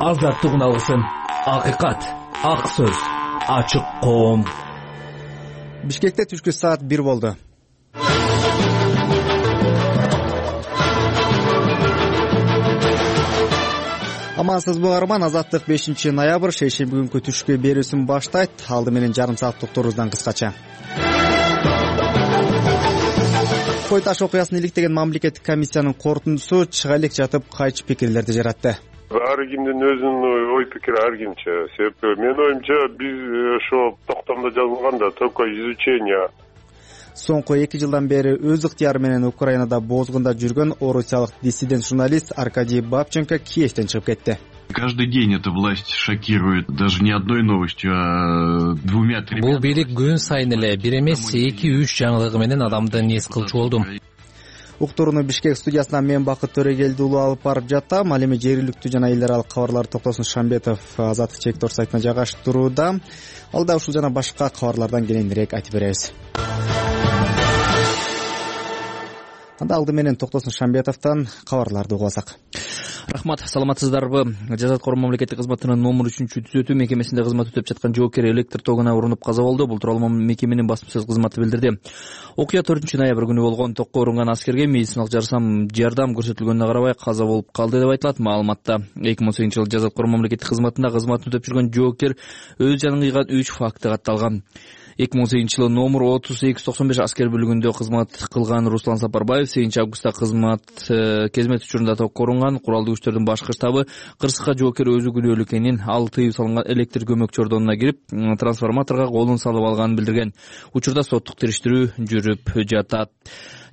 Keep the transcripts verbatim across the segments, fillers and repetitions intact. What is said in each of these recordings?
Азаттыгын алсын. Акыйкат, ак сөз, ачык коом. Бишкекте түшкү саат бир болду. Амансызбы угарман, Азаттык бешинчи ноябрь шейшемби күнкү түшкү берүүсүн баштайт. Алды менен жарым саат токторубуздан кыскача. Кой таш окуясын иликтеген мамлекеттик комиссиянын корутундусу чыга элек жатып кайчы пикирлерди жаратты. Ар кимдин өзүнүн ой пикири ар кимче. Себеби менин оюмча биз ошо токтомдо жазылганда только изучение. Соңку эки жылдан бери өз ыктыяры менен Украинада бозгунда жүргөн орусиялык диссидент журналист Аркадий Бабченко Киевден чыгып кетти. Каждый день эта власть шокирует, даже не одной новостью, а двумя-тремя. Бул бийлик күн сайын эле бир эмес эки үч жаңылыгы менен адамды нес кылчу болду. Уктурууну Бишкек студиясынан мен Бакыт Төрөгелди уулу алып барып жатам. Ал эми жергиликтүү жана эл аралык кабарлар токтосун Шамбетов Азаттык чектор сайтына жайгаштырууда. Ал да ушул жана башка кабарлардан кененирээк айтып беребиз. Анда алды менен токтосун Шамбетовдон кабарларды угасак. Рахмат, саламатсыздарбы? Жаза аткаруу мамлекеттик кызматынын номер үчүнчү түзөтүү мекемесинде кызмат өтөп жаткан жоокер электр тогуна урунуп каза болду. Бул тууралуу мекеменин басма сөз кызматы билдирди. Окуя төртүнчү ноябрь күнү болгон. Токко урунган аскерге медициналык жардам көрсөтүлгөнүнө карабай каза болуп калды деп айтылат. Маалыматта эки миң он сегизинчи жылы жаза аткаруу мамлекеттик кызматында кызматын өтөп жүргөн жоокер өз жанын кыйган үч факты катталган. эки миң он сегизинчи жылы номер отуз эки жүз токсон беш аскер бөлүгүндө кызмат кылган Руслан Сапарбаев сегизинчи августта кызмат кезмет учурунда токко урунган. Куралдуу күчтөрдүн башкы штабы кырсыкка жоокер өзү күнөөлүү экенин, ал тыюу салынган электр көмөк чордонуна кирип, трансформаторго колун салып алганын билдирген. Учурда соттук териштирүү жүрүп жатат.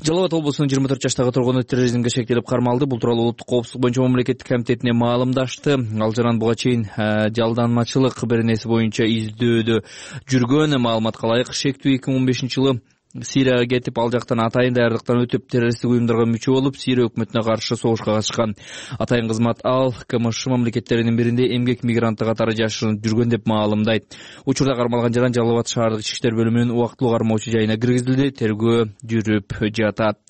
Жалал Абад облусунун жыйырма төрт жаштагы тургуну терроризмге шектелип кармалды. Бул тууралуу улуттук коопсуздук боюнча мамлекеттик комитетине маалымдашты. Ал жаран буга чейин жалданмачылык беренеси боюнча издөөдө жүргөн. Маалыматка ылайык, шектүү эки миң он бешинчи жылы Сирияга кетип, ал жактан атайын даярдыктан өтүп, террористтик уюмдарга мүчө болуп, Сирия өкмөтүнө каршы согушка катышкан. Атайын кызмат ал КМШ мамлекеттеринин биринде эмгек мигранты катары жашырынып жүргөн деп маалымдайт. Учурда кармалган жаран Жалал Абад шаардык ички иштер бөлүмүнүн убактылуу кармоочу жайына киргизилди. Тергөө жүрүп жатат.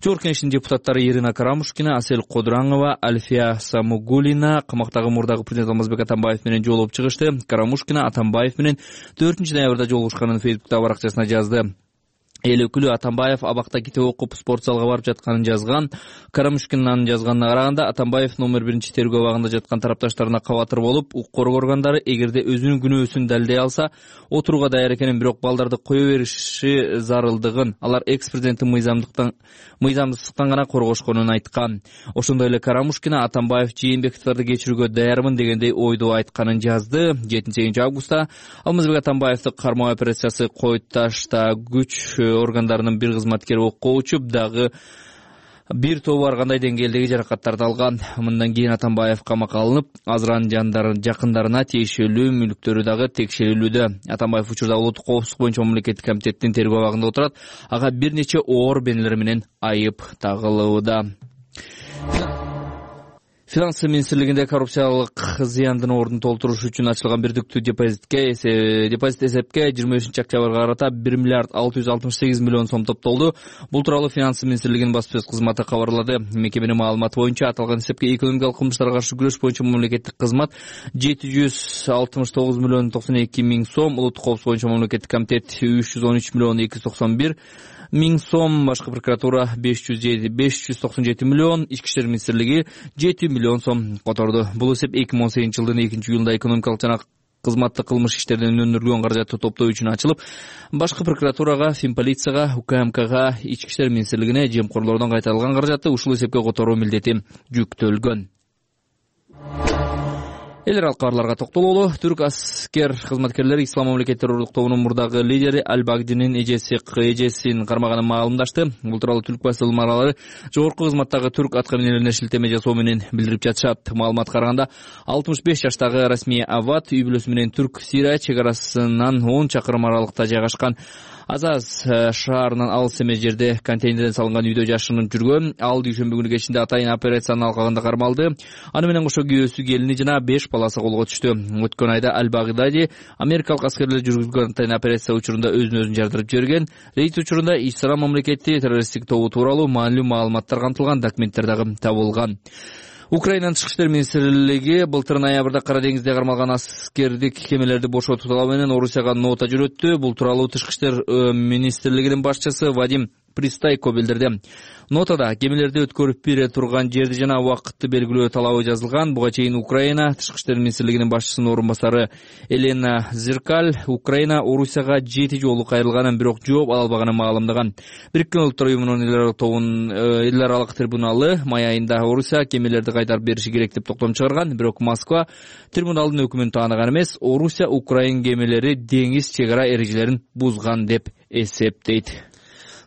Жогорку Кеңештин депутаттары Ирина Карамушкина, Асель Кодураңова, Альфия Самугулина камактагы мурдагы президент Алмазбек Атамбаев менен жолугуп чыгышты. Карамушкина Атамбаев менен төртүнчү ноябрда жолугушканын Фейсбуктагы баракчасына жазды. Эл өкүлү Атамбаев абакта китеп окуп спорт залга барып жатканын жазган. Карамушкинанын жазганына караганда, Атамбаев номер биринчи тергөө абагында жаткан тарапташтарына кабатыр болуп, укук коргоо органдары эгерде өзүнүн күнөөсүн далилдей алса, отурууга даяр экенин, бирок балдарды кое бериши зарылдыгын, алар экс-президенттин мыйзамдыктан мыйзамсыздыктан гана коргошконун айткан. Ошондой эле Карамушкина Атамбаев Жээнбековдорду кечирүүгө даярмын дегендей ойду айтканын жазды. жетинчи сегизинчи августта Алмазбек Атамбаевди кармоо операциясы Кой Ташта күч органдарынын бир кызматкери окко учуп, дагы бир тобу ар кандай деңгээлдеги жаракаттарды алган. Мындан кийин Атамбаев камакка алынып, азыран жандарын жакындарына тиешелүү мүлктөрү дагы текшерилүүдө. Атамбаев учурда улуттук коопсуздук боюнча мамлекеттик комитеттин тергөө абагында отурат. Ага бир нече оор бенелер менен айып тагылууда. Финанс министрлигинде коррупциялык зыяндын ордун толтуруш үчүн ачылган бирдиктүү депозитке депозит эсепке жыйырма бешинчи октябрга карата бир миллиард алты жүз алтымыш сегиз миллион сом топтолду. Бул тууралуу Финанс министрлигинин басма сөз кызматы кабарлады. Мекеменин маалыматы боюнча аталган эсепке экономикалык кылмыштарга каршы күрөш боюнча мамлекеттик кызмат жети жүз алтымыш тогуз миллион токсон эки миң сом, улуттук коопсуздук боюнча мамлекеттик комитет үч жүз он үч миллион эки жүз токсон бир миң сом, башкы прокуратура беш жүз токсон жети миллион, ички иштер министрлиги жети миллион сом которду. Бул эсеп эки миң он сегизинчи жылдын экинчи июлунда экономикалык жана кызматтык кылмыш иштеринен өнүргөн каражатты топтоо үчүн ачылып, башкы прокуратурага, Финполицияга, УКМКга, ички иштер министрлигине жемкорлордон кайтарылган каражатты ушул эсепке которуу милдети жүктөлгөн. Эл аралык кабарларга токтололу. Түрк аскер кызматкерлери Ислам мамлекет террорлук тобунун мурдагы лидери Аль-Багдинин эжеси эжесин кармаганын маалымдашты. Бул тууралуу Түрк басылмалары жогорку кызматтагы түрк аткаминерлерине шилтеме жасоо менен билдирип жатышат. Маалыматка караганда, алтымыш беш жаштагы Расмия Ават үй бүлөсү менен Түрк Сирия чек арасынан он чакырым аралыкта жайгашкан Азаз шаарынан алыс эмес жерде контейнерден салынган үйдө жашынып жүргөн. Ал дүйшөмбү күнү кечинде атайын операциянын алкагында кармалды. Аны менен кошо күйөөсү, келини жана беш баласы колго түштү. Өткөн айда Аль-Багдади америкалык аскерлер жүргүзгөн атайын операция учурунда өзүн өзүн жардырып жиберген. Рейд учурунда Ислам мамлекети террористтик тобу тууралуу маанилүү маалыматтар камтылган документтер дагы табылган. Украинанын тышкы иштер министрлиги былтыр ноябрда Кара деңизде кармалган аскердик кемелерди бошотуу талабы менен Орусияга нота жөнөттү. Бул тууралуу тышкы иштер министрлигинин башчысы Вадим Пристайко билдирди. Нотада кемелерди өткөрүп бере турган жерди жана убакытты белгилөө талабы жазылган. Буга чейин Украина тышкы иштер министрлигинин башчысынын орун басары Елена Зеркаль Украина Орусияга жети жолу кайрылганын, бирок жооп ала албаганын маалымдаган. Бириккен Улуттар уюмунун эл аралык тобунун эл аралык трибуналы май айында Орусия кемелерди кайтарып бериши керек деп токтом чыгарган, бирок Москва трибуналдын өкүмүн тааныган эмес. Орусия Украин кемелери деңиз чек ара эрежелерин бузган деп эсептейт.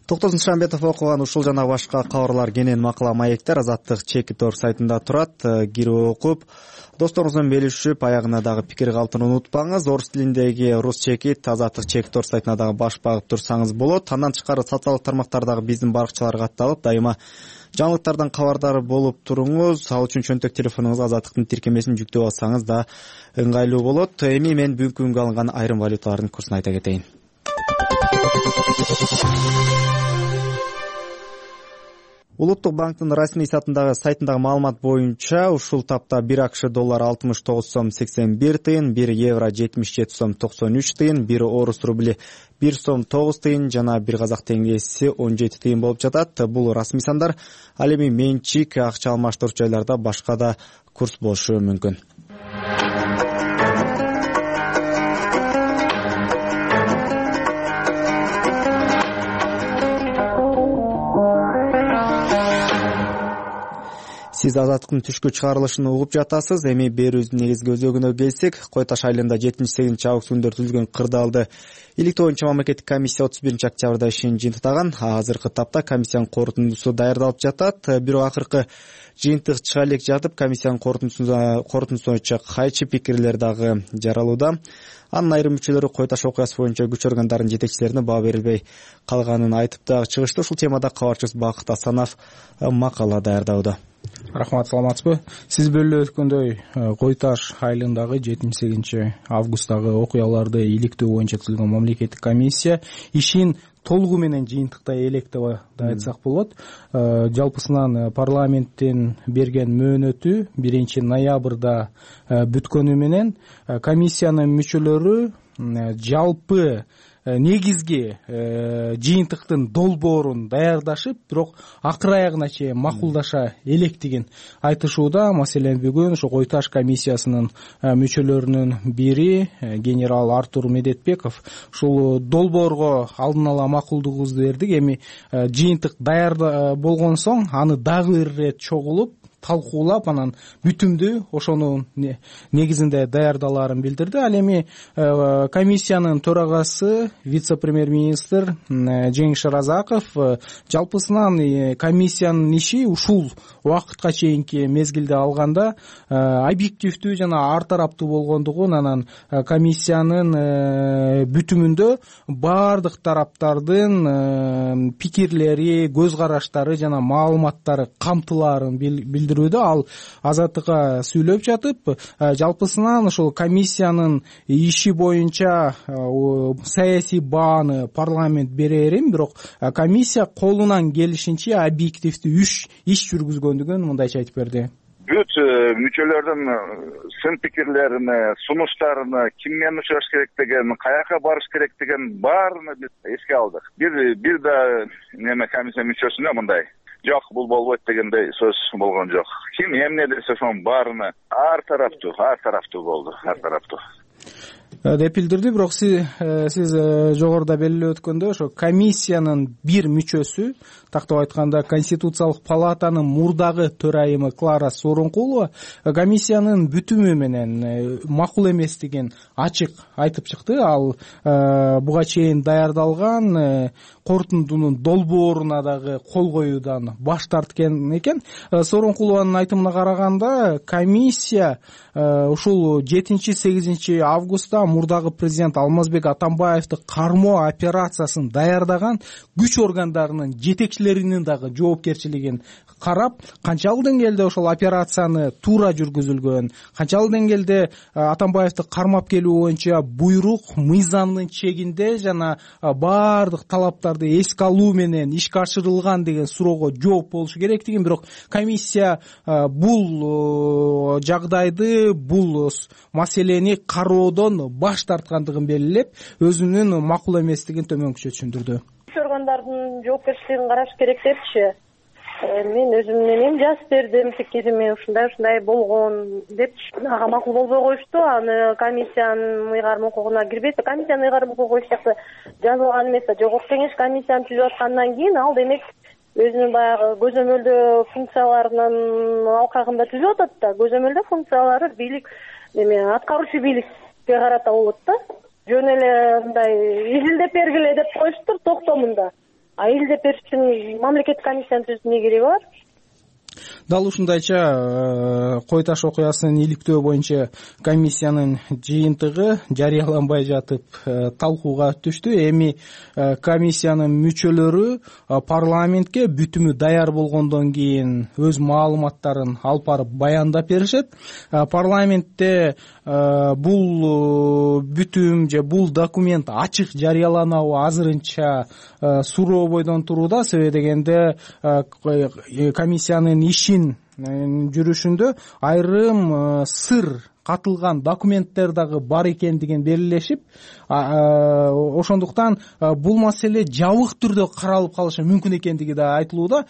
Токтосун Шамбетов окуган ушул жана башка кабарлар кенен макала маектер Азаттык Чекитор сайтында турат. Кирип окуп, досторуңуз менен белишип, аягына дагы пикир калтырууну унутпаңыз. Орус тилиндеги Рус Чекит Азаттык Чекитор сайтына дагы баш багып турсаңыз болот. Андан тышкары социалдык тармактардагы биздин баракчаларга катталып, дайыма жаңылыктардан кабардар болуп туруңуз. Ал үчүн чөнтөк телефонуңузга Азаттыктын тиркемесин жүктөп алсаңыз да ыңгайлуу болот. Эми мен бүгүнкү күнгө алынган айрым валюталардын курсун айта кетейин. Улуттук банктын расмий сайтындагы сайтындагы маалымат боюнча ушул тапта бир АКШ доллары алтымыш тогуз сом сексен бир тыйын, бир евро жетимиш жети сом токсон үч тыйын, бир орус рубли бир сом тогуз тыйын жана бир казак теңгеси он жети тыйын болуп жатат. Бул расмий сандар. Ал эми менчик акча алмаштыруу жайларда башка да курс болушу мүмкүн. Сиз Азаттыктын түшкү чыгарылышын угуп жатасыз. Эми берүүбүздүн негизги өзөгүнө келсек, Кой Таш айылында жетинчи сегизинчи август күндөрү түзүлгөн кырдаалды иликтөө боюнча мамлекеттик комиссия отуз биринчи октябрда ишин жыйынтыктаган. Азыркы тапта комиссиянын корутундусу даярдалып жатат. Бирок акыркы жыйынтык чыга элек жатып, комиссиянын корутундусу боюнча кайчы пикирлер дагы жаралууда. Анын айрым мүчөлөрү Кой Таш окуясы боюнча күч органдарынын жетекчилерине баа берилбей калганын айтып дагы чыгышты. Ушул темада кабарчыбыз Бакыт Асанов макала даярдауда. Рахмат, саламатсызбы? Сиз белгилеп өткөндөй, Кой Таш айылындагы жетинчи сегизинчи августтагы окуяларды иликтөө боюнча түзүлгөн мамлекеттик комиссия ишин толугу менен жыйынтыктай элек деп айтсак болот. Жалпысынан парламенттин берген мөөнөтү биринчи ноябрда бүткөнү менен комиссиянын мүчөлөрү жалпы негизги жыйынтыктын долбоорун даярдашып, бирок акыр аягына чейин макулдаша электигин айтышууда. Маселен, бүгүн ошо Кой Таш комиссиясынын мүчөлөрүнүн бири генерал Артур Медетбеков ушул долбоорго алдын ала макулдугубузду бердик. Эми жыйынтык даяр болгон соң аны дагы бир ирет чогулуп талкуулап, анан бүтүмдүү ошонун негизинде даярдалаарын билдирди. Ал эми комиссиянын төрагасы вице-премьер-министр Жеңиш Разаков жалпысынан комиссиянын иши ушул убакытка чейинки мезгилде алганда объективдүү жана ар тараптуу болгондугун, анан комиссиянын бүтүмүндө баардык тараптардын пикирлери, көз караштары жана маалыматтары камтылаарын билдирүүдө. Ал Азаттыкка сүйлөп жатып, жалпысынан ушул комиссиянын иши боюнча саясий бааны парламент берерин, бирок комиссия колунан келишинче объективдүү иш жүргүзгөндүгүн мындайча айтып берди. Бүт мүчөлөрдүн сын пикирлерине, сунуштарына, ким менен учураш керек деген, каяка барыш керек деген баарына биз эске алдык. Бир бир да неме комиссия мүчөсүнө мындай жок, бул болбойт дегендей сөз болгон жок. Ким эмне десе ошонун баарына ар тараптуу, ар тараптуу болду, ар тараптуу деп билдирди. Бирок сиз сиз жогоруда белгилеп өткөндөй, ошо комиссиянын бир мүчөсү, тактап айтканда Конституциялык палатанын мурдагы төрайымы Клара Сооронкулова комиссиянын бүтүмү менен макул эместигин ачык айтып чыкты. Ал буга чейин даярдалган корутундунун долбооруна дагы кол коюудан баш тарткен экен. Сооронкулованын айтымына караганда, комиссия ушул жетинчи сегизинчи августта мурдагы президент Алмазбек Атамбаевди кармоо операциясын даярдаган күч органдарынын жетекчилери кишилеринин дагы жоопкерчилигин карап, канчалык деңгээлде ошол операцияны туура жүргүзүлгөн, канчалык деңгээлде Атамбаевди кармап келүү боюнча буйрук мыйзамдын чегинде жана баардык талаптарды эске алуу менен ишке ашырылган деген суроого жооп болушу керектигин, бирок комиссия бул жагдайды, бул маселени кароодон баш тарткандыгын белгилеп, өзүнүн макул эместигин төмөнкүчө түшүндүрдү. Иш органдардын жоопкерчилигин караш керек депчи. Мен өзүм менен жазып бердим, пикириме ушундай ушундай болгон деп, ага макул болбой коюшту. Аны комиссиянын ыйгарым укугуна кирбейт. Комиссиянын ыйгарым укугу эч жакта жазылган эмес. Жогорку кеңеш комиссияны түзүп аткандан кийин ал демек өзүнүн баягы көзөмөлдөө функцияларынын алкагында түзүп атат да. Көзөмөлдөө функциялары бийлик эме аткаруучу бийликке карата болот да. Жөн эле мындай изилдеп бергиле деп коюштур токтомунда. А изилдеп бериш үчүн мамлекеттик комиссияны түзүүнүн кереги бар. Дал ушундайча Кой Таш окуясын иликтөө боюнча комиссиянын жыйынтыгы жарыяланбай жатып талкууга түштү. Эми комиссиянын мүчөлөрү парламентке бүтүмү даяр болгондон кийин өз маалыматтарын алып барып баяндап беришет. Парламентте бул бүтүм же бул документ ачык жарыяланабы азырынча суроо бойдон турууда. Себеби дегенде комиссиянын ишин жүрүшүндө айрым сыр катылган документтер дагы бар экендигин белгилешип, ошондуктан бул маселе жабык түрдө каралып калышы мүмкүн экендиги да айтылууда.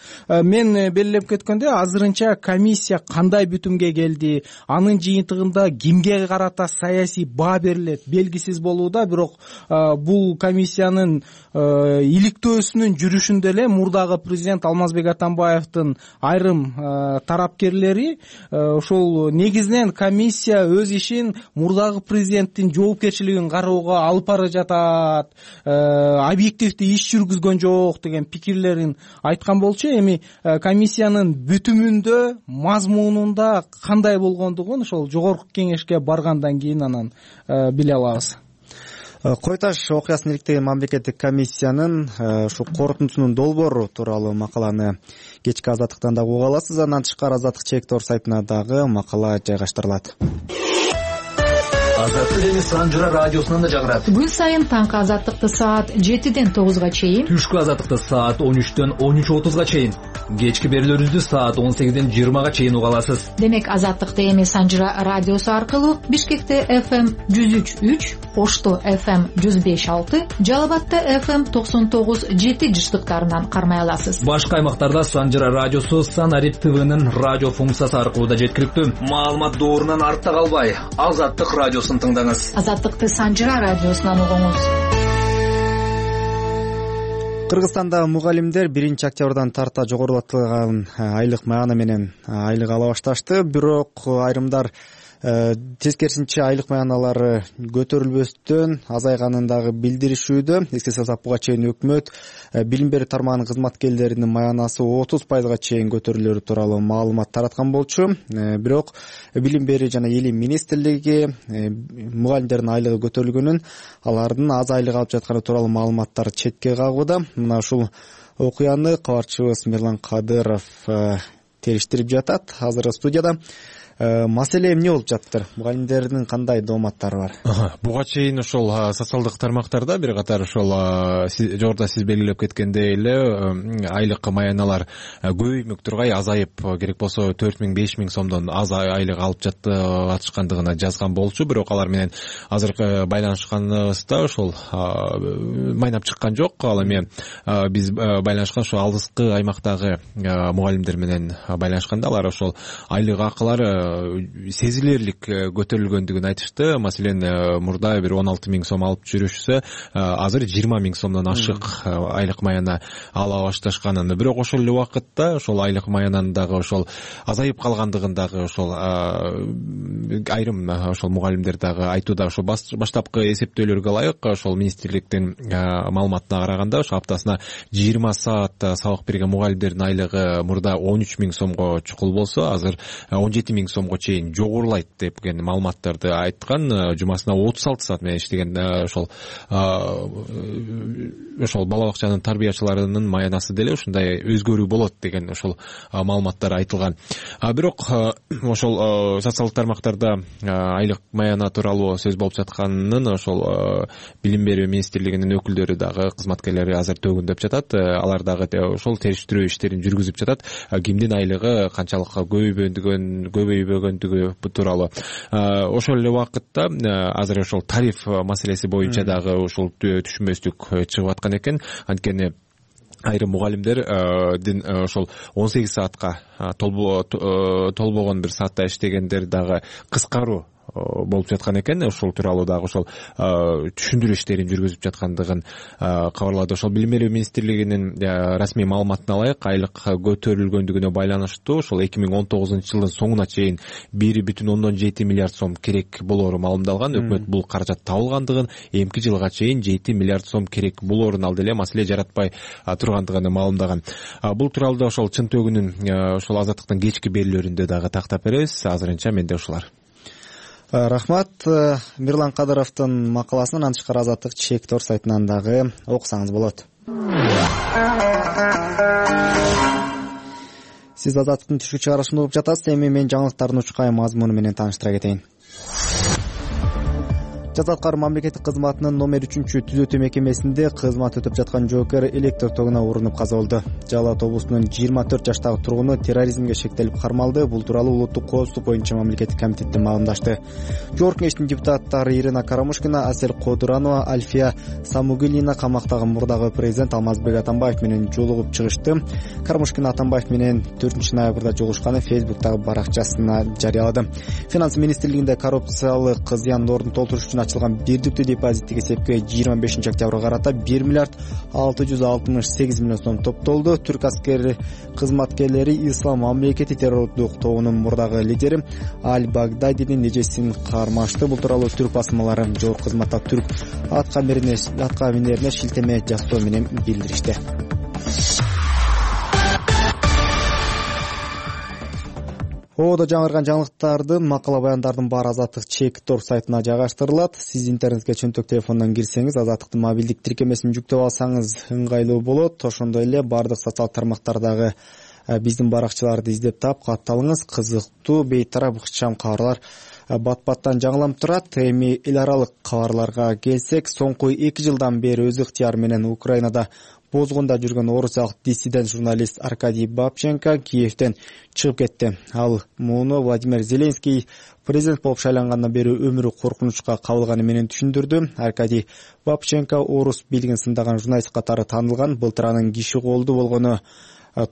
Мен белгилеп кеткенде азырынча комиссия кандай бүтүмгө келди, анын жыйынтыгында кимге карата саясий баа берилет белгисиз болууда. Бирок бул комиссиянын иликтөөсүнүн жүрүшүндө эле мурдагы президент Алмазбек Атамбаевдин айрым тарапкерлери ошол негизинен комиссия өз ишин мурдагы президенттин жоопкерчилигин кароого алып бара жатат, объективдүү иш жүргүзгөн жок деген пикирлерин айткан болчу. Эми комиссиянын бүтүмүндө, мазмунунда кандай болгондугун ошол жогорку кеңешке баргандан кийин анан биле алабыз. Кой Таш окуясын иликтеген мамлекеттик комиссиянын ушу корутундусунун долбоору тууралуу макаланы кечки Азаттыктан дагы уга аласыз. Андан тышкары Азаттык чек-тор сайтына дагы макала жайгаштырылат. Азаттык эми Санжыра радиосунан да жагырат. Күн сайын таңкы Азаттыкты саат жетиден тогузга чейин, түшкү Азаттыкты саат он үчтөн он үч отузга чейин, кечки берүүлөрүбүздү саат он сегизден жыйырмага чейин уга аласыз. Демек Азаттыкты эми Санжыра радиосу аркылуу Бишкекте эф эм жүз үч үч, Ошто эф эм жүз беш алты, Жалал Абадта эф эм токсон тогуз жети жыштыктарынан кармай аласыз. Башка аймактарда Санжыра радиосу Санарип ТВнын радио функциясы аркылуу да жеткиликтүү. Маалымат доорунан артта калбай, Азаттык радиосун тыңдаңыз. Азаттыкты Санжыра радиосунан угуңуз. Кыргызстанда мугалимдер биринчи октябрдан тарта жогорулатылган айлык маана менен айлык ала башташты. Бирок айрымдар тескерисинче айлык маяналары көтөрүлбөстөн азайганын дагы билдиришүүдө. Эске салсак, буга чейин өкмөт билим берүү тармагынын кызматкерлеринин маянасы отуз пайызга чейин көтөрүлөрү тууралуу маалымат тараткан болчу. Бирок билим берүү жана илим министрлиги мугалимдердин айлыгы көтөрүлгөнүн, алардын аз айлык алып жатканы тууралуу маалыматтар четке кагууда. Мына ушул окуяны кабарчыбыз Мирлан Кадыров териштирип жатат. Азыр студияда. Маселе эмне болуп жатыр? Мугалимдердин кандай дооматтары бар? Буга чейин ошол социалдык тармактарда бир катар ошол жогоруда сиз белгилеп кеткендей эле айлык маяналар көбөймөк тургай азайып, керек болсо төрт миң беш миң сомдон аз айлык алып жатышкандыгына жазган болчу. Бирок алар менен азыр байланышканыбызда ошол майнап чыккан жок. Ал эми биз байланышкан ошол алыскы аймактагы мугалимдер менен байланышканда алар ошол айлык акылары сезилерлик көтөрүлгөндүгүн айтышты. Маселен, мурда бир он алты миң сом алып жүрүшсө, азыр жыйырма миң сомдон ашык айлык маяна ала башташканын. Бирок ошол эле убакытта ошол айлык маянанын дагы ошол азайып калгандыгын дагы ошол айрым ошол мугалимдер дагы айтууда. Ошол баштапкы эсептөөлөргө ылайык ошол министрликтин маалыматына караганда ошо аптасына жыйырма саат сабак берген мугалимдердин айлыгы мурда он үч миң сомго чукул болсо азыр он жети миң сомго чейин жогорулайт деген маалыматтарды айткан. Жумасына отуз алты саат менен иштеген ошол ошол бала бакчанын тарбиячыларынын маянасы деле ушундай өзгөрүү болот деген ошол маалыматтар айтылган. Бирок ошол социалдык тармактарда айлык маяна тууралуу сөз болуп жатканын ошол билим берүү министрлигинин өкүлдөрү дагы кызматкерлери азыр төгүндөп жатат. Алар дагы ошол териштирүү иштерин жүргүзүп жатат. Кимдин айлыгы канчалык көбөйбөгөн көбөйбөгөндүгү тууралуу. Ошол эле убакытта азыр ошол тариф маселеси боюнча дагы ошол түшүнбөстүк чыгып аткан экен. Анткени айрым мугалимдер ошол он сегиз саатка толбогон бир саатта иштегендер дагы кыскаруу болуп жаткан экен. Ошол тууралуу дагы ошол түшүндүрүү иштерин жүргүзүп жаткандыгын кабарлады. Ошол билим берүү министрлигинин расмий маалыматына ылайык, айлык көтөрүлгөндүгүнө байланыштуу ошол эки миң он тогузунчу жылдын соңуна чейин бир бүтүн ондон жети миллиард сом керек болоору маалымдалган. Өкмөт бул каражат табылгандыгын, эмки жылга чейин жети миллиард сом керек болоорун ал деле маселе жаратпай тургандыгын маалымдаган. Бул тууралуу ошол чын төгүнүн ошол азаттыктын кечки берүүлөрүндө дагы тактап беребиз. Азырынча менде ушулар. Рахмат. Мирлан Кадыровдун макаласын андан тышкары Азаттык Чектор сайтынан дагы окусаңыз болот. Сиз Азаттыктын түшүк чыгарышын угуп жатасыз. Эми мен жаңылыктардын учкай мазмуну менен тааныштыра кетейин. Жаза аткаруу мамлекеттик кызматынын номер үчүнчү түзөтүү мекемесинде кызмат өтөп жаткан жоокер электр тогуна урунуп каза болду. Жалал ат облусунун жыйырма төрт жаштагы тургуну терроризмге шектелип кармалды. Бул тууралуу улуттук коопсуздук боюнча мамлекеттик комитеттен маалымдашты. Жогорку кеңештин депутаттары Ирина Карамушкина, Асель Кодуранова, Альфия Самугилина камактагы мурдагы президент Алмазбек Атамбаев менен жолугуп чыгышты. Карамушкина Атамбаев менен төртүнчү ноябрда жолугушканын Фейсбуктагы баракчасына жарыялады. Финанс министрлигинде коррупциялык зыяндын ордун толтуруш үчүн ачылган бирдиктүү депозиттик эсепке жыйырма бешинчи октябрга карата бир миллиард алты жүз алтымыш сегиз миллион сом топтолду. Түрк аскери кызматкерлери Ислам мамлекети террорлук тобунун мурдагы лидери Аль-Багдадинин эжесин кармашты. Бул тууралуу түрк басмалары жогорку кызматта түрк атка минерине шилтеме жасоо менен билдиришти. Оодо жаңырган жаңылыктардын макала баяндардын баары Азаттык Чектор сайтына жайгаштырылат. Сиз интернетке чөнтөк телефондон кирсеңиз, Азаттыктын мобилдик тиркемесин жүктөп алсаңыз ыңгайлуу болот. Ошондой эле баардык социалдык тармактардагы биздин баракчаларды издеп таап катталыңыз. Кызыктуу, бейтарап, ыкчам кабарлар бат-баттан жаңыланып турат. Эми эл аралык кабарларга келсек, соңку эки жылдан бери өз ыктыяры менен Украинада бозгунда жүргөн орусиялык диссидент журналист Аркадий Бабченко Киевден чыгып кетти. Ал муну Владимир Зеленский президент болуп шайлангандан бери өмүрү коркунучка кабылганы менен түшүндүрдү. Аркадий Бабченко орус бийлигин сындаган журналист катары таанылган. Былтыр анын киши колду болгону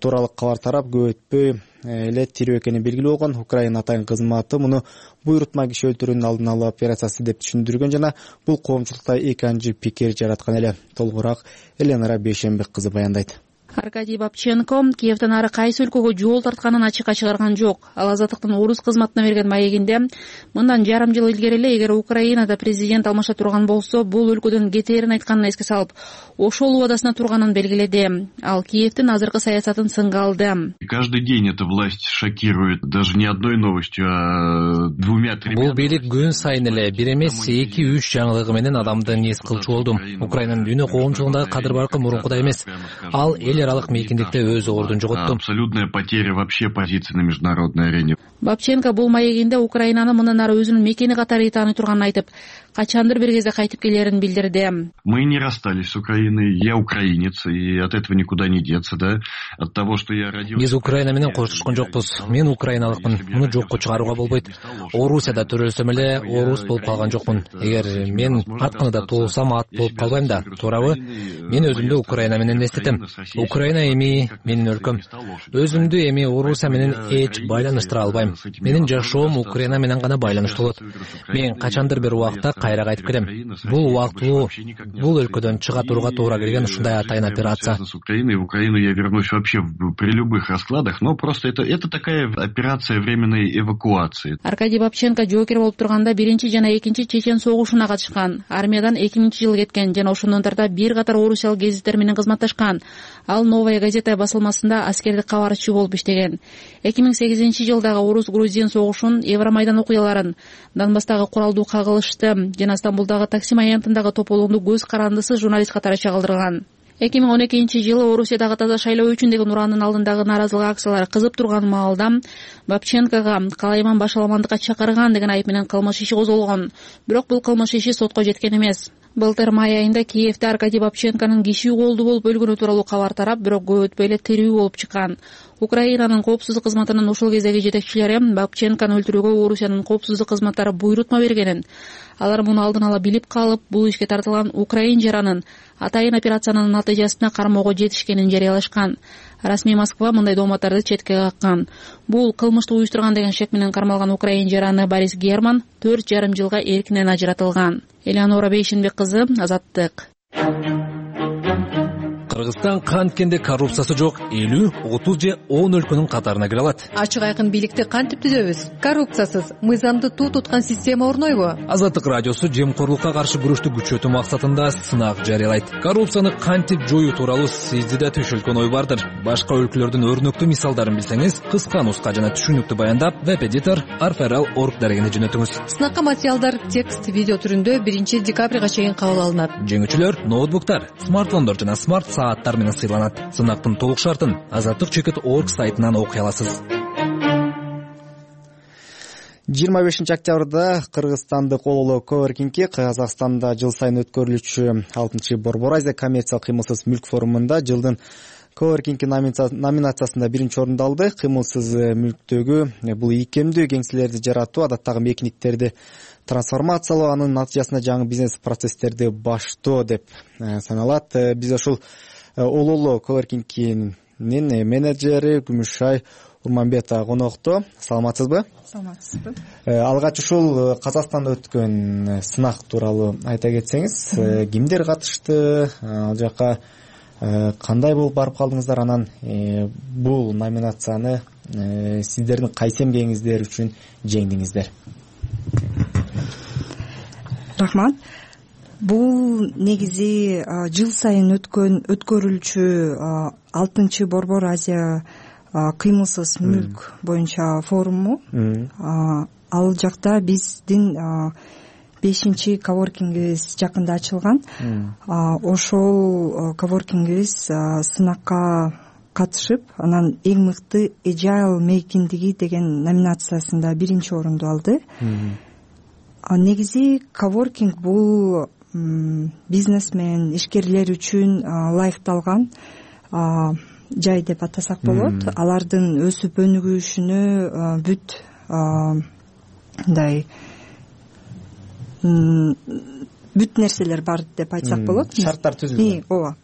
тууралуу кабар тарап, көп өтпөй эле тирүү экени белгилүү болгон. Украина атайын кызматы муну буйрутма киши өлтүрүүнүн алдын алуу операциясы деп түшүндүргөн жана бул коомчулукта эки анчы пикир жараткан эле. Толугураак Эленара Бейшембек кызы баяндайт. Аркадий Бабченко Киевден ары кайсы өлкөгө жол тартканын ачыкка чыгарган жок. Ал Азаттыктын орус кызматына берген маегинде мындан жарым жыл илгери эле эгер Украинада президент алмаша турган болсо, бул өлкөдөн кетээрин айтканын эске салып, ошол убадасына турганын белгиледи. Ал Киевдин азыркы саясатын сынга алды. Каждый день эта власть шокирует, даже не одной новостью, а двумя-тремя. Бул бийлик күн сайын эле бир эмес эки үч жаңылыгы менен адамды низ кылчу болду. Украинанын дүйнө коомчулугундагы кадыр баркы мурункудай эмес. Ал эл аралык мейкиндикте өз ордун жоготту. Абсолютная потеря вообще позиции на международной арене. Бабченко бул маегинде Украинаны мындан ары өзүнүн мекени катары тааный турганын айтып, качандыр бир кезде кайтып келерин билдирди. Мы не расстались с Украиной. Я украинец, и от этого никуда не деться, да? От того, что я родился. Биз Украина менен коштошкон жокпуз. Мен украиналыкмын. Муну жокко чыгарууга болбойт. Орусияда төрөлсөм эле орус болуп калган жокмун. Эгер мен атканында туулсам ат болуп калбайм да, туурабы? Мен өзүмдү Украина менен эстетем. Украина эми менин өлкөм. Өзүмдү эми Орусия менен эч байланыштыра албайм. Менин жашоом Украина менен гана байланыштуу болот. Мен качандыр бир убакта кайра кайтып келем. Бул убактылуу, бул өлкөдөн чыга турууга туура келген ушундай атайын операция. С Украины в Украину я вернусь вообще при любых раскладах, но просто это это такая операция временной эвакуации. Аркадий Бабченко жоокер болуп турганда биринчи жана экинчи Чечен согушуна катышкан. Армиядан эки миңинчи жылы кеткен жана ошондон тарта бир катар орусиялык гезиттер менен кызматташкан. ал Новая газета басылмасында аскердик кабарчы болуп иштеген. эки миң сегизинчи жылдагы орус-грузин согушун, Евромайдан окуяларын, Донбасстагы куралдуу кагылышты жана Стамбулдагы Таксим аянтындагы тополууну көз карандысыз журналист катары чагылдырган. эки миң он экинчи жылы Орусиядагы таза шайлоо үчүн деген ураандын алдындагы нааразылык акциялары кызып турган маалда Бабченкого калайман башаламандыкка чакырган деген айып менен кылмыш иши козголгон. Бирок бул кылмыш иши сотко жеткен эмес. Былтыр май айында Киевде Аркадий Бабченконун киши колдуу болуп өлгөнү тууралуу кабар тарап, бирок көп өтпөй эле тирүү болуп чыккан. Украинанын коопсуздук кызматынын ушул кездеги жетекчилери Бабченкону өлтүрүүгө Орусиянын коопсуздук кызматтары буйрутма бергенин, алар муну алдын ала билип калып, бул ишке тартылган украин жаранын атайын операциянын натыйжасында кармоого жетишкенин жарыялашкан. Расмий Москва мындай дооматтарды четке каккан. Бул кылмышты уюштурган деген шек менен кармалган украин жараны Борис Герман төрт жарым жылга эркинен ажыратылган. Элеонора Бейшенбек кызы, Азаттык. Кыргызстан канткенде коррупциясы жок элүү, отуз же он өлкөнүн катарына кире алат. Ачык айкын бийликти кантип түзөбүз? Коррупциясыз, мыйзамды туу туткан система орнойбу? Азаттык радиосу жемкорлукка каршы күрөштү күчөтүү максатында сынак жарыялайт. Коррупцияны кантип жоюу тууралуу сизде да түшүлгөн ой бардыр. Башка өлкөлөрдүн өрнөктүү мисалдарын билсеңиз, кыска нуска жана түшүнүктүү баяндап веб-эдитор арферал точка орг дарегине жөнөтүңүз. Сынакка материалдар текст, видео түрүндө биринчи декабрга чейин кабыл алынат. Жеңүүчүлөр ноутбуктар, смартфондор жана смарт сааттар менен сыйланат. Сынактын толук шартын азаттык чекит точка орг сайтынан окуй аласыз. жыйырма бешинчи октябрда кыргызстандык Ололо коворкингки Казакстанда жыл сайын өткөрүлүүчү алтынчы Борбор Азия коммерциялык кыймылсыз мүлк форумунда жылдын коворкингки номинациясында биринчи орунду алды. Кыймылсыз мүлктөгү бул ийкемдүү кеңселерди жаратуу, адаттагы мекиниктерди трансформациялоо, анын натыйжасында жаңы бизнес процесстерди баштоо деп саналат. Биз ошол Ололо коворкингкинин менеджери Күмүшай Урманбетова конокто. Саламатсызбы? Саламатсызбы. Алгач ушул Казакстанда өткөн сынак тууралуу айта кетсеңиз, кимдер катышты, ал жака кандай болуп барып калдыңыздар, анан бул номинацияны сиздердин кайсы эмгегиңиздер үчүн жеңдиңиздер? Рахмат. Бул негизи жыл сайын өткөн өткөрүлчү алтынчы Борбор Азия кыймылсыз мүлк боюнча форуму. Ал жакта биздин бешинчи коворкингибиз жакында ачылган. Ошол коворкингибиз сынакка катышып, анан эң мыкты Agile мейкиндиги деген номинациясында биринчи орунду алды. Негизи коворкинг бул бизнесмен, ишкерлер үчүн ылайыкталган жай деп атасак болот. Алардын өсүп өнүгүшүнө бүт мындай бүт нерселер бар деп айтсак болот. Шарттар түзүлгөн. Ооба.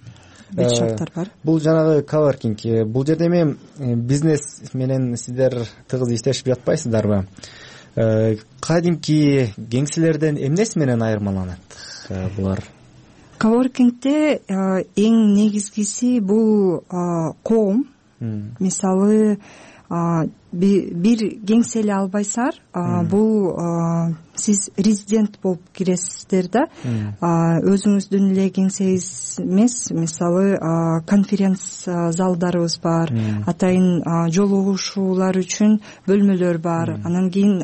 Бүт шарттар бар. Бул жанагы коворкинг, бул жерде эми бизнес менен сиздер тыгыз иштешип жатпайсыздарбы? Кадимки кеңселерден эмнеси менен айырмаланат булар? Коворкингде эң негизгиси бул коом. Мисалы, бир кеңсе эле албайсыңар, бул сиз резидент болуп киресиздер да. Өзүңүздүн эле кеңсеңиз эмес, мисалы конференция залдарыбыз бар, атайын жолугушуулар үчүн бөлмөлөр бар. Анан кийин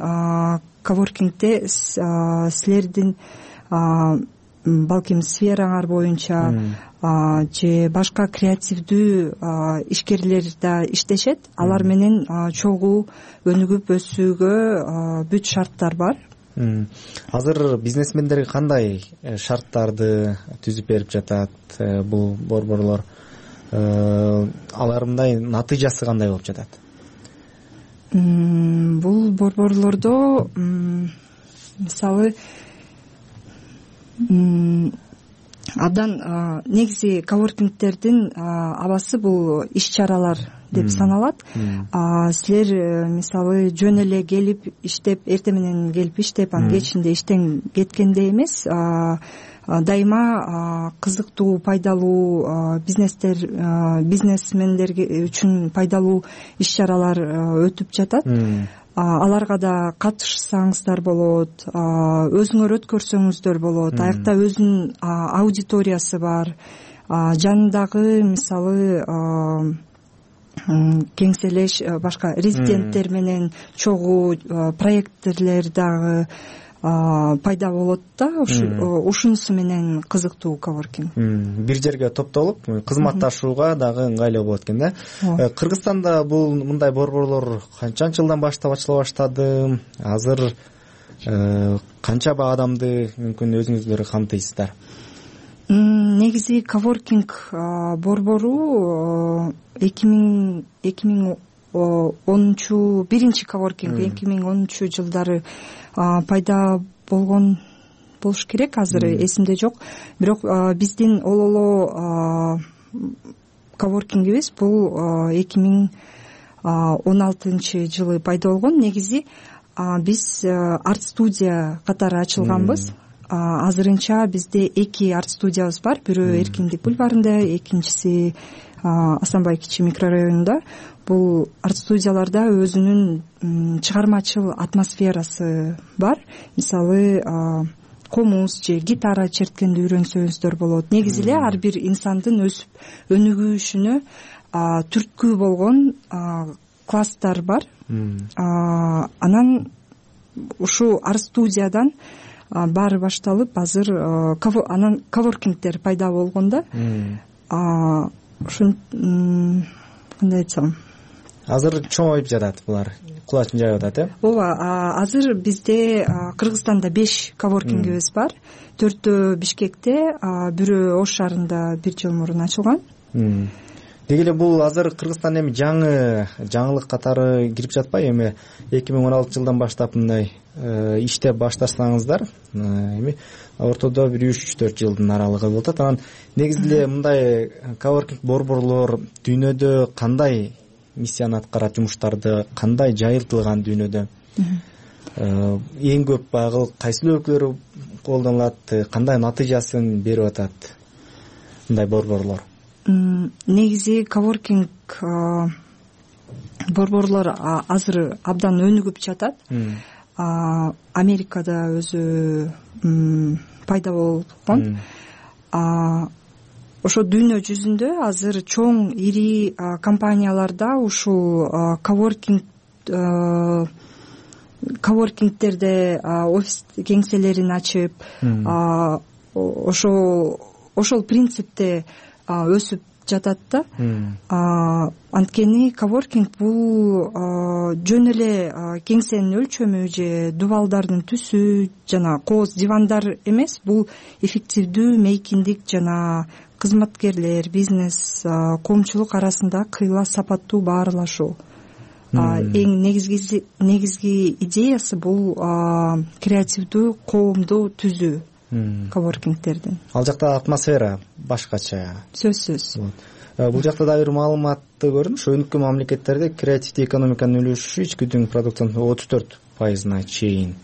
коворкингде силердин балким сфераңар боюнча же башка креативдүү ишкерлер да иштешет. Алар менен чогуу өнүгүп өсүүгө бүт шарттар бар. Азыр бизнесмендерге кандай шарттарды түзүп берип жатат бул борборлор? Алардын натыйжасы кандай болуп жатат? Бул борборлордо мисалы абдан негизи коворкингтердин абасы бул иш-чаралар деп саналат. Силер мисалы жөн эле келип иштеп, эртең менен келип иштеп, анан кечинде иштен кеткенде эмес, дайыма кызыктуу, пайдалуу бизнестер, бизнесмендер үчүн пайдалуу иш-чаралар өтүп жатат. Аларга да катышсаңыздар болот, өзүңөр өткөрсөңүздөр болот. Аякта өзүнүн аудиториясы бар. жанындагы мисалы кеңселеш башка резиденттер менен чогуу проекттерлер дагы пайда болот да. Ушунусу менен кызыктуу коворкинг. Бир жерге топтолуп кызматташууга дагы ыңгайлуу болот экен да. Кыргызстанда бул мындай борборлор канчанчы жылдан баштап ачыла баштады? Азыр канча адамды мүмкүн өзүңүздөр камтыйсыздар? Негизи коворкинг борбору эки миң онунчу биринчи коворкинг эки миң онунчу жылдары пайда болгон болуш керек, азыр эсимде жок. Бирок биздин ололо коворкингибиз бул эки миң он алтынчы жылы пайда болгон. Негизи биз арт студия катары ачылганбыз. Азырынча бизде эки арт студиябыз бар. Бирөө Эркиндик бульварында, экинчиси Асанбай кичи микрорайонунда. Бул арт студияларда өзүнүн чыгармачыл атмосферасы бар. Мисалы комуз же гитара черткенди үйрөнсөңүздөр болот. Негизи эле ар бир инсандын өсүп өнүгүшүнө түрткү болгон класстар бар. Анан ушу арт студиядан баары башталып, азыр анан коворкингдер пайда болгондо ушун кандай айтсам, азыр чоңоюп жатат булар, кулачын жайып атат, э? Ооба, азыр бизде Кыргызстанда беш коворкингибиз бар. Төртөө Бишкекте, бирөө Ош шаарында бир жыл мурун ачылган. Деги эле бул азыр Кыргызстан эми жаңы жаңылык катары кирип жатпайбы? Эми эки миң он алтынчы жылдан баштап мындай иштеп баштасаңыздар, эми ортодо бир үч төрт жылдын аралыгы болуп атат. Анан негизи эле мындай коворкинг борборлор дүйнөдө кандай миссияны аткарат, жумуштарды кандай жайылтылган дүйнөдө? Эң көп багыл кайсы өлкөлөр колдонулат, кандай натыйжасын берип атат мындай борборлор? Негизи коворкинг борборлор азыр абдан өнүгүп жатат. Америкада өзү пайда болгон. Ошо дүйнө жүзүндө азыр чоң ири компанияларда ушул коворкинг коворкингдерде офис кеңселерин ачып, ошол ошол принципте өсүп жатат да. Анткени коворкинг бул жөн эле кеңсенин өлчөмү же дубалдардын түсү жана кооз дивандар эмес, бул эффективдүү мейкиндик жана кызматкерлер, бизнес, коомчулук арасында кыйла сапаттуу баарлашуу. Эң негизги негизги идеясы бул креативдүү коомду түзүү. Коворкингдердин. Ал жакта атмосфера башкача. Сөзсүз. Бул жакта да бир маалыматты көрдүм. Ошо өнүккөн мамлекеттерде креативдүү экономиканын үлүшү ички продуктунун отуз төрт пайызына чейин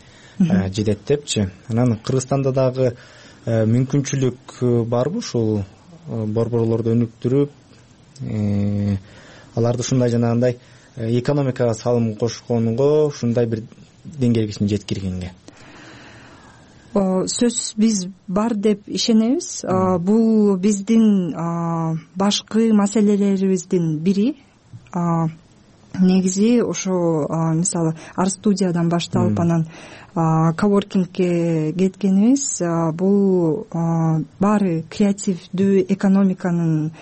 жетет депчи. Анан Кыргызстанда дагы мүмкүнчүлүк барбы ушул борборлорду өнүктүрүп, аларды ушундай жанагындай экономикага салым кошконго, ушундай бир деңгээлге чейин жеткиргенге? Сөз биз бар деп ишенебиз. Бул биздин башкы маселелерибиздин бири. Негизи ошо мисалы арт студиядан башталып анан коворкингке кеткенибиз, бул баары креативдүү экономиканын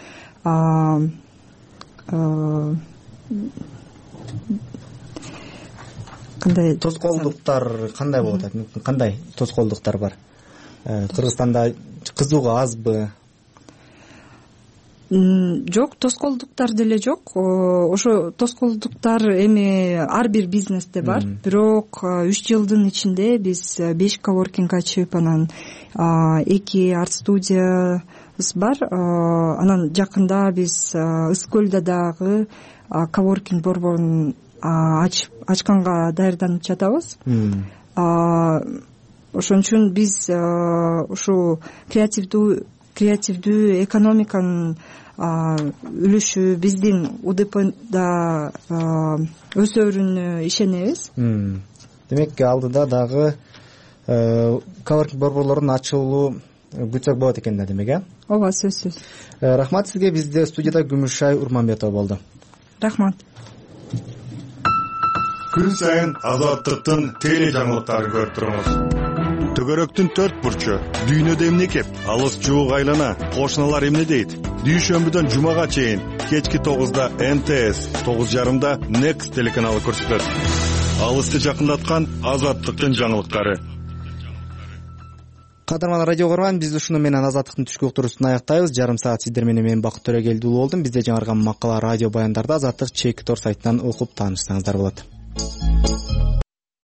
кандай тоскоолдуктар кандай болуп атат? Кандай тоскоолдуктар бар? Кыргызстанда кызыгуу азбы? Жок, тоскоолдуктар деле жок. Ошо тоскоолдуктар эми ар бир бизнесте бар. Бирок үч жылдын ичинде биз беш коворкинг ачып, анан эки арт студиябыз бар. Анан жакында биз Ысык көлдө дагы коворкинг борборун ачканга даярданып жатабыз. Ошон үчүн биз ушул креативдүү креативдүү экономиканын үлүшү биздин УДПда өсөрүнө ишенебиз. Демек алдыда дагы коворкинг борборлорунун ачылуу күтсөк болот экен да, демек, э ооба, сөзсүз. Рахмат сизге. Бизде студияда Күмүшай Урманбетова болду. Рахмат. Күн сайын Азаттыктын теле жаңылыктарын көрүп туруңуз. Төгөрөктүн төрт бурчу, дүйнөдө эмне кеп, алыс жуук айлана, кошуналар эмне дейт? Дүйшөмбүдөн жумага чейин кечки тогузда эн тэ эс, тогуз жарымда Next телеканалы көрсөтөт. Алысты жакындаткан Азаттыктын жаңылыктары. Кадырман радио көргөн, биз ушуну менен Азаттыктын түшкү уктуруусун аяктайбыз. Жарым саат сиздер менен мен Бакыт Төрөгелди уулу болдум. Бизде жаңырган макала радио баяндарда Азаттык чекитор сайтынан окуп таанышсаңыздар болот.